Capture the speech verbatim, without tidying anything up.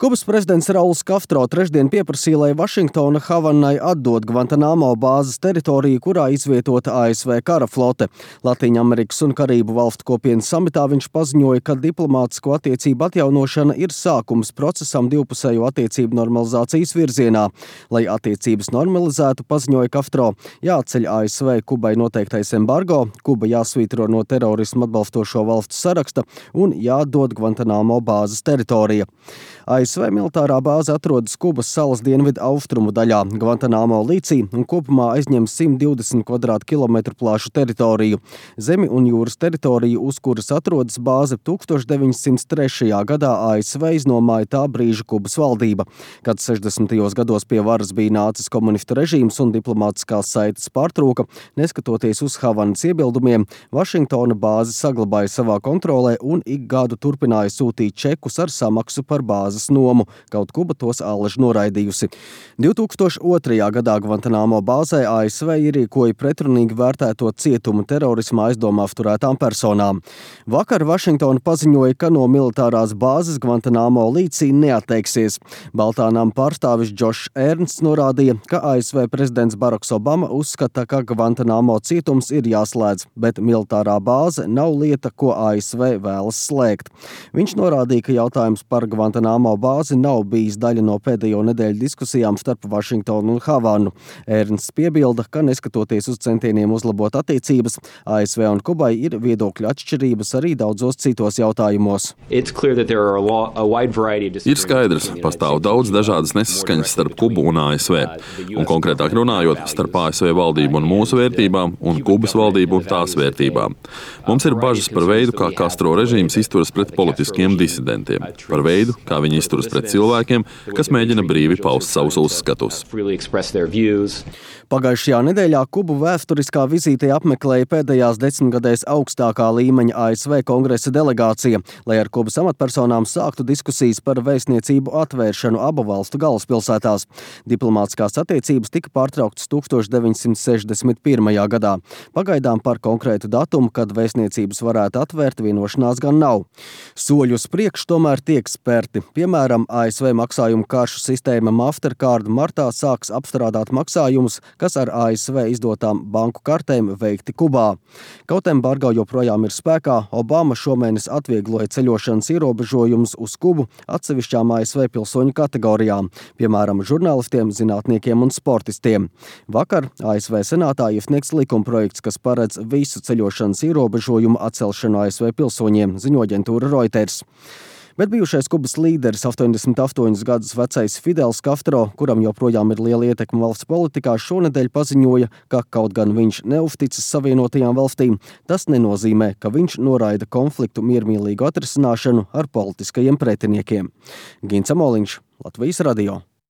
Kubas prezidents Rauls Castro trešdien pieprasīja, lai Vašingtona Havanai atdod Guantanamo bāzes teritoriju, kurā izvietota A S V kara flote. Latīņamerikas un Karību valstu kopienas samitā viņš paziņoja, ka diplomātisko attiecību atjaunošana ir sākums procesam divpusējo attiecību normalizācijas virzienā. Lai attiecības normalizētu, paziņoja Castro, jāceļ A S V Kubai noteiktais embargo, Kuba jāsvītro no terorismu atbalstošo valstu saraksta un jāatdod Guantanamo bāzes teritorija. A S V militārā bāze atrodas Kubas salas dienvidu austrumu daļā, Guantanamo līcī, un kopumā aizņem simt divdesmit kvadrātkilometru plašu teritoriju. Zemi un jūras teritoriju, uz kuras atrodas bāze, tūkstoš deviņsimt trešajā gadā A S V iznomāja tā brīža Kubas valdība. Kad sešdesmitajos gados pie varas bija nācis komunistu režīms un diplomātiskās saites pārtrūka, neskatoties uz Havanas iebildumiem, Vašingtona bāzi saglabāja savā kontrolē un ik gadu turpināja sūtīt čekus ar samaksu par bāzes nomu, kaut Kuba tos allaž noraidījusi. divtūkstoš otrajā gadā Guantanamo bāzē A S V ierīkoja pretrunīgi vērtēto cietumu terorismā aizdomā apturētām personām. Vakar Vašingtona paziņoja, ka no militārās bāzes Guantanamo līcī neatteiksies. Baltānām pārstāvis Džošs Ernsts norādīja, ka A S V prezidents Baraks Obama uzskata, ka Guantanamo cietums ir jāslēdz, bet militārā bāze nav lieta, ko A S V vēlas slēgt. Viņš norādīja, ka jautājums par Guantanamo bāzi nav bijis daļa no pēdējo nedēļu diskusijām starp Vašingtonu un Havanu. Ernsts piebilda, ka neskatoties uz centieniem uzlabot attiecības, A S V un Kubai ir viedokļu atšķirības arī daudzos citos jautājumos. Ir skaidrs, pastāv daudz dažādas nesaskaņas starp Kubu un A S V, un konkrētāk runājot, starp A S V valdību un mūsu vērtībām un Kubas valdību un tās vērtībām. Mums ir bažas par veidu, kā Castro režīms izturas pret politiskiem disidentiem, par veidu, kā viņi izturas pret cilvēkiem, kas mēģina brīvi paust savus uzskatus. Pagājušajā nedēļā Kubu vēsturiskā vizītē apmeklēja pēdējās desmitgadēs augstākā līmeņa A S V kongresa delegācija, lai ar Kubas amatpersonām sāktu diskusijas par vēstniecību atvēršanu abu valstu galvaspilsētās. Diplomātiskās attiecības tika pārtrauktas tūkstoš deviņsimt sešdesmit pirmajā gadā. Pagaidām par konkrētu datumu, kad vēstniecības varētu atvērt, vienošanās gan nav. Soļi uz priekšu tomēr tiek spērti. Piemēram, A S V maksājumu karšu sistēma Mastercard martā sāks apstrādāt maksājumus, kas ar A S V izdotām banku kartēm veikti Kubā. Kaut embargo joprojām ir spēkā, Obama šomēnes atviegloja ceļošanas ierobežojumus uz Kubu atsevišķām A S V pilsoņu kategorijām, piemēram, žurnālistiem, zinātniekiem un sportistiem. Vakar A S V senātā iesniegts likumprojekts, kas paredz visu ceļošanas ierobežojumu atcelšanu A S V pilsoņiem, ziņo aģentūra Reuters. Bet bijušais Kubas līderis, astoņdesmit astoņus gadus vecais Fidels Castro, kuram joprojām ir liela ietekme valsts politikā, šonedēļ paziņoja, ka kaut gan viņš neuzticas Savienotajām valstīm, tas nenozīmē, ka viņš noraida konfliktu miermīlīgu atrisināšanu ar politiskajiem pretiniekiem. Gins Amoliņš, Latvijas radio.